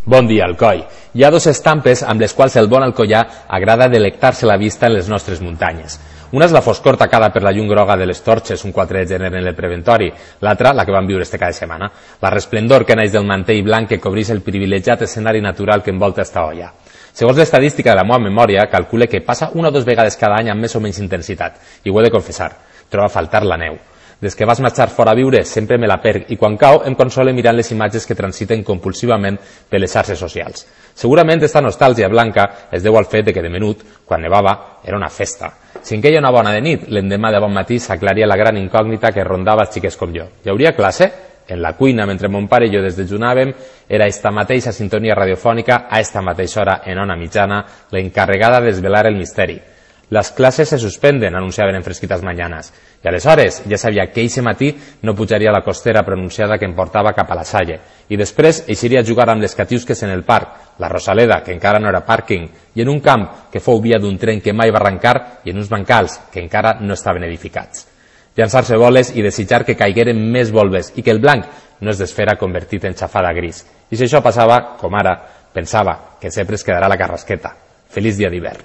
Bon dia, Alcoi. Hi ha dues estampes amb les quals el bon alcoià agrada delectar-se la vista en les nostres muntanyes. Una és la foscor tacada per la llum groga de les torxes un 4 de gener en el preventori, l'altra, la que vam viure este cada setmana, la resplendor que naix del mantell blanc que cobreix el privilegiat escenari natural que envolta esta olla. Segons l'estadística de la meva memòria, calcule que passa una o dues vegades cada any amb més o menys intensitat, i ho he de confessar, trobo a faltar la neu. Des que vas marxar fora a viure sempre me la perc i quan cau em console mirant les imatges que transiten compulsivament per les xarxes socials. Segurament esta nostàlgia blanca es deu al fet que de menut, quan nevava, era una festa. Si en queia una bona de nit, l'endemà de bon matí s'aclaria la gran incògnita que rondava els xiquets com jo. Hi hauria classe? En la cuina, mentre mon pare i jo desdejunàvem, era esta mateixa sintonia radiofònica a esta mateixa hora en ona mitjana l'encarregada de desvelar el misteri. Les classes se suspenden, anunciaven en fresquitas mañanas. I aleshores ja sabia que eixe matí no pujaria a la costera pronunciada que em portava cap a la Salle. I després eixiria a jugar amb les catiusques en el parc, la Rosaleda, que encara no era pàrquing, i en un camp que fou via d'un tren que mai va arrencar i en uns bancals que encara no estaven edificats. Llançar-se boles i desitjar que caigueren més volves i que el blanc no es desfera convertit en xafada gris. I si això passava, com ara, pensava que sempre es quedarà la carrasqueta. Feliç dia d'hivern.